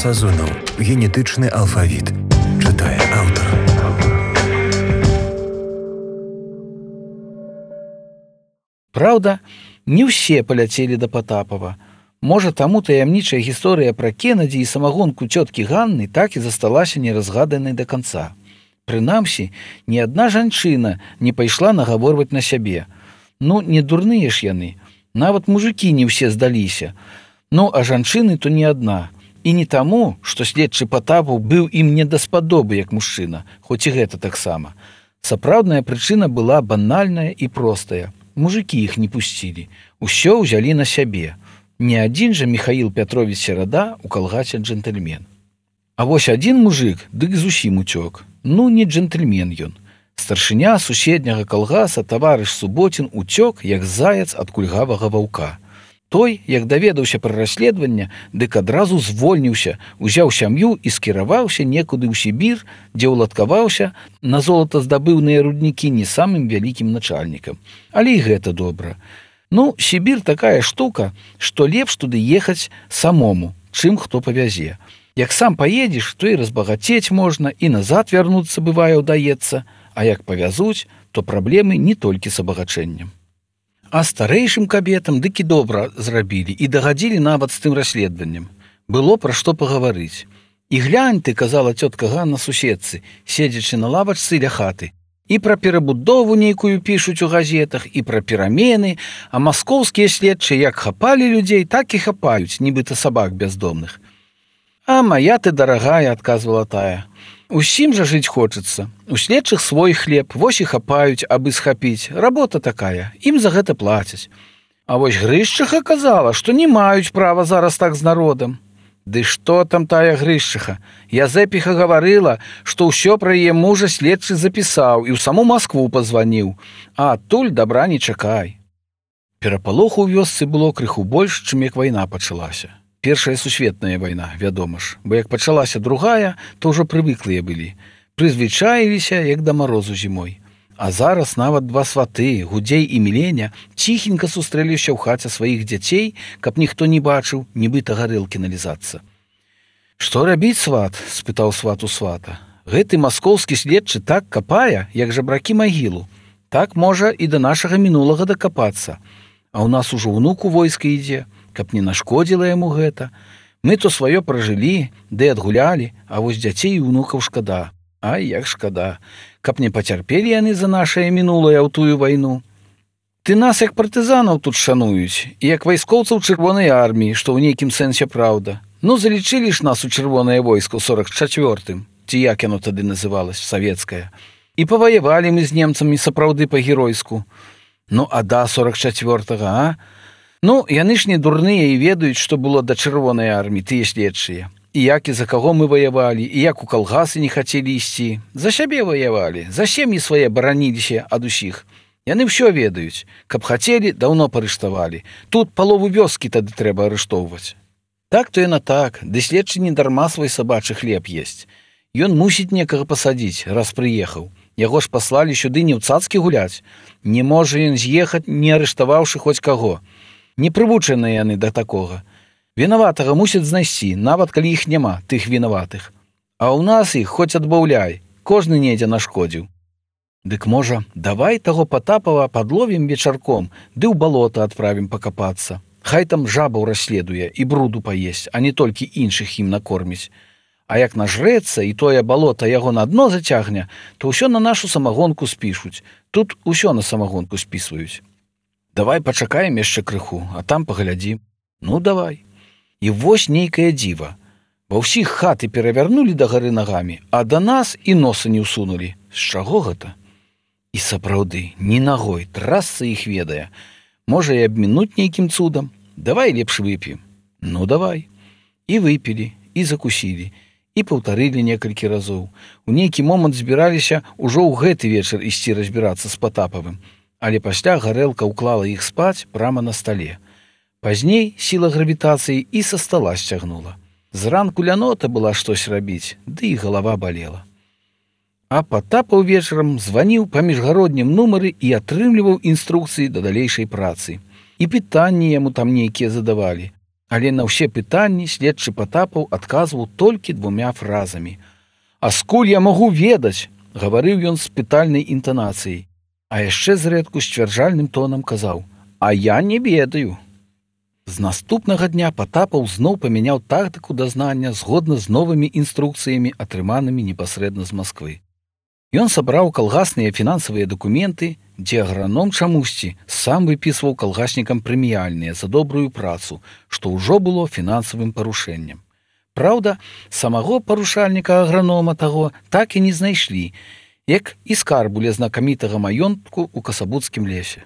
Сазонаў. Генетычны алфавіт. Чытае аўтар. Праўда, не ўсе паляцелі да Патапава. Можа, таму таямнічая гісторыя пра Кеннеді і самагонку цёткі Ганны так і засталася неразгаданай да канца. Прынамсі, ні адна жанчына не пайшла нагаворваць на сябе. Ну, не дурныя ж яны. Нават мужыкі не ўсе здаліся. Ну, а жанчыны то не адна. І не таму, што следчы Патапаў быў ім не даспадобы як мужчына, хоць і гэта таксама. Сапраўдная прычына была банальная і простая. Мужыкі іх не пусцілі. Усё ўзялі на сябе. Не адзін жа Міхаіл Пятровіч Серада ў калгасе джентльмен. А вось адзін мужык, дык зусім уцёк. Ну, не джентльмен ён. Старшыня суседняга калгаса таварыш Суботін уцёк, як заяц ад кульгавага ваўка. Той, як даведаўся пра расследаванне, дык адразу звольніўся, узяў сям'ю і скіраваўся некуды ў Сібір, дзе ўладкаваўся, на золата здабыўныя руднікі не самым вялікім начальнікам. Але і гэта добра. Ну, Сібір такая штука, што лепш туды ехаць самому, чым хто павязе. Як сам паедзеш, то і разбагацець можна, і назад вярнуцца, бывае, удаецца, а як павязуць, то праблемы не толькі з абагачэннем. А старэйшым кабетам дык і добра зрабілі і дагадзілі нават з тым расследаваннем. Было пра што пагаварыць. І глянь ты, казала цётка Ганна суседцы, седзячы на лавачцы ля хаты, і пра перабудову нейкую пішуць у газетах, і пра перамены, а маскоўскія следчыя як хапалі людзей, так і хапаюць, нібыта сабак бяздомных. А мая ты дарагая, адказвала тая. Усім жа жыць хочацца. У следчых свой хлеб, вось і хапаюць, абы схапіць. Работа такая, ім за гэта плацяць. А вось Грышчыха казала, што не маюць права зараз так з народам. Ды што там тая Грышчыха? Язэпіха гаварыла, што ўсё пра яе мужа следчы запісаў і ў саму Маскву пазваніў. А адтуль дабра не чакай. Перапалоху ў вёсцы было крыху больш, чым як вайна пачалася. Першая сусветная вайна, вядома ж, бо як пачалася другая, то ўжо прывыклыя былі. Прызвычаіліся, як да марозу зімой. А зараз нават два сваты, Гудзей і Міленя, ціхенька сустрэліся ў хаце сваіх дзяцей, каб ніхто не бачыў, нібыта гарэлкі налізацца. «Што рабіць, сват?» – спытаў сват у свата. «Гэты маскоўскі следчы так капае, як жабракі магілу. Так можа і да нашага мінулага дакапацца. А ў нас ужо ўнук у войска ідзе, каб не нашкодзіла яму гэта. Мы то сваё пражылі, ды адгулялі, а вось дзяцей і ўнукаў шкада. Ай, як шкада, каб не пацярпелі яны за нашае мінулае ў тую вайну. Ты нас як партызанаў тут шануюць, і як вайскоўцаў чырвонай арміі, што ў нейкім сэнсе праўда. Ну, залічылі ж нас у чырвонае войска ў 44-м, ці як яно тады называлось, савецкае. І паваявалі мы з немцамі сапраўды па-геройску. Ну, а да 44-го, а? Ну, яны ж не дурныя і ведаюць, што было да чырвонай арміі, тыя следчыя. І як і за каго мы ваявалі, і як у калгасы не хацелі ісці. За сябе ваявалі, за сем'і свае бараніліся ад усіх. Яны ўсё ведаюць. Каб хацелі, даўно парыштавалі. Тут палову вёскі тады трэба арыштоўваць. Так то яна так, ды следчы не дарма свой сабачы хлеб есць. Ён мусіць некага пасадзіць, раз прыехаў. Яго ж паслалі сюды не ў цацкі гуляць. Не можа ён з'ехаць, не арыштаваўшы хоць каго. Не прывучаныя яны да такога. Вінаватага мусяць знайсці, нават калі іх няма, тых вінаватых. А ў нас іх хоць адбаўляй, кожны недзе нашкодзіў. Дык можа, давай таго Патапава падловім вечарком, ды ў балота адправім пакапацца. Хай там жабаў расследуе і бруду паесць, а не толькі іншых ім накорміць. А як нажрэцца і тое балота яго на дно зацягне, то ўсё на нашу самагонку спішуць. Тут усё на самагонку спісваюць. Давай пачакаем яшчэ крыху, а там паглядзім. Ну, давай. І вось нейкае дзіва. Ва ўсіх хаты перавярнулі дагары нагамі, а да нас і носа не ўсунулі. З чаго гэта? І сапраўды, ні нагой, трасца іх ведае. Можа і абмінуць нейкім цудам. Давай лепш вып'ем. Ну, давай. І выпілі, і закусілі, і паўтарылі некалькі разоў. У нейкі момант збіраліся ўжо ў гэты вечар ісці разбірацца з Патапавым. Але пасля гарэлка ўклала іх спаць прама на стале. Пазней сіла гравітацыі і са стала сцягнула. Зранку лянота была штось рабіць, ды і галава балела. А Патапаў вечарам званіў па міжгароднім нумары і атрымліваў інструкцыі да далейшай працы. І пытанні яму там нейкія задавалі. Але на ўсе пытанні следчы Патапаў адказваў толькі 2 фразамі. «А скуль я магу ведаць?» – гаварыў ён з пытальнай інтанацыяй. А яшчэ зрэдку сцвярджальным тонам казаў: «А я не ведаю». З наступнага дня Патапаў зноў памяняў тактыку дазнання згодна з новымі інструкцыямі, атрыманымі непасрэдна з Масквы. Ён сабраў калгасныя фінансавыя дакументы, дзе аграном чамусьці сам выпісваў калгаснікам прэміяльныя за добрую працу, што ўжо было фінансавым парушэннем. Праўда, самого парушальніка агранома таго так і не знайшлі, як і скарбу ля знакамітага маёнтку ў Касабуцкім лесе.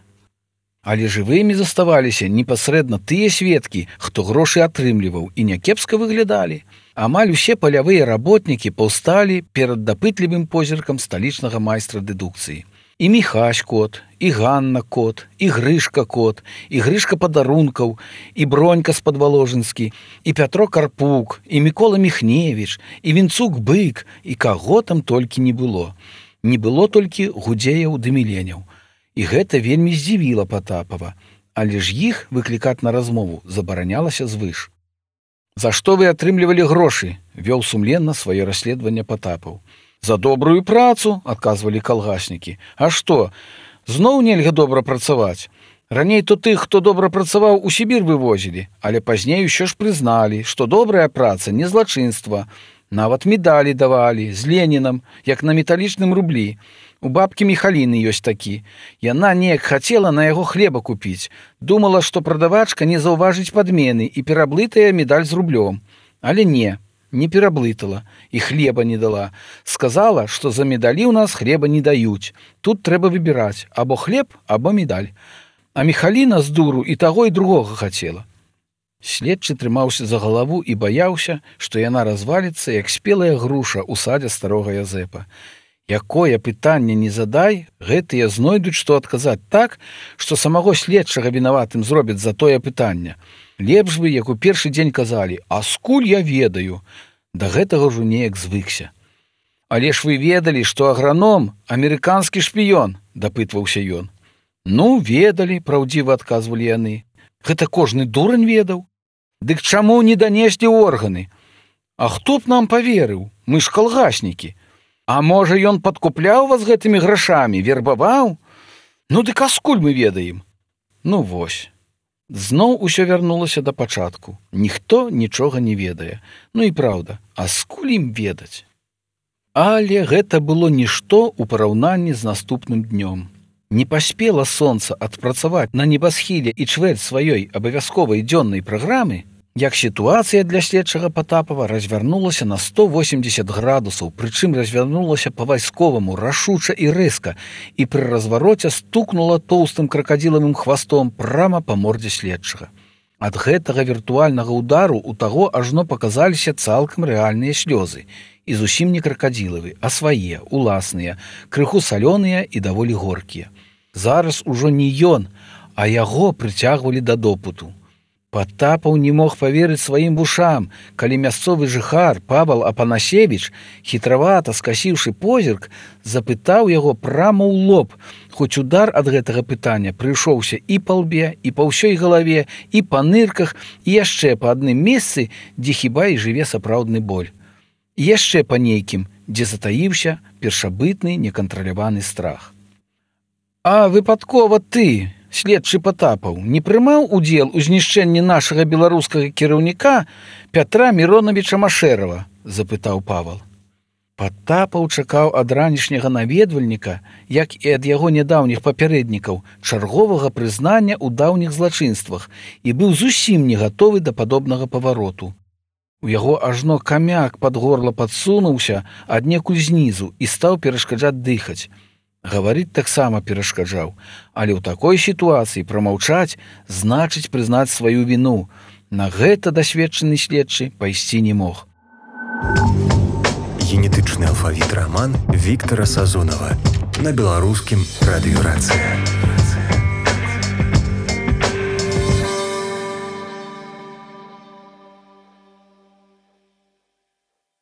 Але жывымі заставаліся непасрэдна тыя сведкі, хто грошы атрымліваў і някепска выглядалі. Амаль усе палявыя работнікі паўсталі перад дапытлівым позіркам сталічнага майстра дэдукцыі. І Міхась кот, і Ганна кот, і Грышка кот, і Грышка падарункаў, і Бронька з-Падваложынскі, і Пятро Карпук, і Мікола Міхневіч, і Вінцук бык, і каго там толькі не было. Не было толькі Гудзеяў ды Міленяў. І гэта вельмі здзівіла Патапава, але ж іх выклікаць на размову забаранялася звыш. «За што вы атрымлівалі грошы?» – вёў сумленна сваё расследаванне Патапаў. «За добрую працу», – адказвалі калгаснікі. «А што, зноў нельга добра працаваць? Раней то тых, хто добра працаваў, у Сібір вывозілі, але пазней усё ж прызналі, што добрая праца не злачынства. Нават медалі давалі з Ленінам, як на металічным рублі. У бабкі Міхаліны ёсць такі. Яна неяк хацела на яго хлеба купіць. Думала, што прадавачка не заўважыць падмены і пераблытая медаль з рублём. Але не пераблытала і хлеба не дала. Сказала, што за медалі ў нас хлеба не даюць. Тут трэба выбіраць або хлеб, або медаль. А Міхаліна з дуру і таго і другога хацела». Следчы трымаўся за галаву і баяўся, што яна разваліцца, як спелая груша ў садзе старога Язэпа. Якое пытанне не задай, гэтыя знойдуць, што адказаць так, што самого следчага вінаватым зробяць за тое пытанне. Лепш бы, як у першы дзень казалі: «А скуль я ведаю?» Да гэтага ўжо неяк звыкся. «Але ж вы ведалі, што аграном – амерыканскі шпіён?» – дапытваўся ён. «Ну, ведалі», – праўдзіва адказвалі яны. «Гэта кожны дурань ведаў. Дык чаму не данеслі органы? А хто б нам паверыў? Мы ж калгаснікі. А можа, ён падкупляў вас гэтымі грашамі, вербаваў? Ну дык а скуль мы ведаем?» Ну вось. Зноў усё вярнулася да пачатку. Ніхто нічога не ведае. Ну і праўда, а скуль ім ведаць? Але гэта было нішто ў параўнанні з наступным днём. Не паспела сонца адпрацаваць на небасхіле і чвэрць сваёй абавязковай дзённай праграмы, як сітуацыя для следчага Патапава развярнулася на 180 градусаў, прычым развярнулася па-вайсковаму, рашуча і рэзка, і пры развароце стукнула тоўстым кракадзілавым хвастом прама па мордзе следчага. Ад гэтага віртуальнага удару у таго ажно паказаліся цалкам рэальныя слёзы, і зусім не кракадзілавы, а свае, уласныя, крыху салёныя і даволі горкія. Зараз ужо не ён, а яго прыцягвалі да допыту. Патапаў не мог паверыць сваім вушам, калі мясцовы жыхар Павал Апанасевіч, хітравата скасіўшы позірк, запытаў яго прама ў лоб, хоць удар ад гэтага пытання прыйшоўся і па лбе, і па ўсёй галаве, і па нырках, і яшчэ па адным месцы, дзе хіба і жыве сапраўдны боль. І яшчэ па нейкім, дзе затаіўся першабытны некантраляваны страх. «А выпадкова ты, следчы Патапаў, не прымаў удзел у знішчэнні нашага беларускага кіраўніка Пятра Міронавіча Машэрава?» – запытаў Павал. Патапаў чакаў ад ранішняга наведвальніка, як і ад яго нядаўніх папярэднікаў, чарговага прызнання ў даўніх злачынствах і быў зусім не гатовы да падобнага павароту. У яго ажно камяк пад горла падсунуўся аднекуль знізу і стаў перашкаджаць дыхаць. Гаварыць таксама перашкаджаў, але ў такой сітуацыі прамаўчаць значыць прызнаць сваю віну. На гэта дасведчаны следчы пайсці не мог. Генетычны алфавіт раман Віктара Сазонава на беларускім радыёрацыі.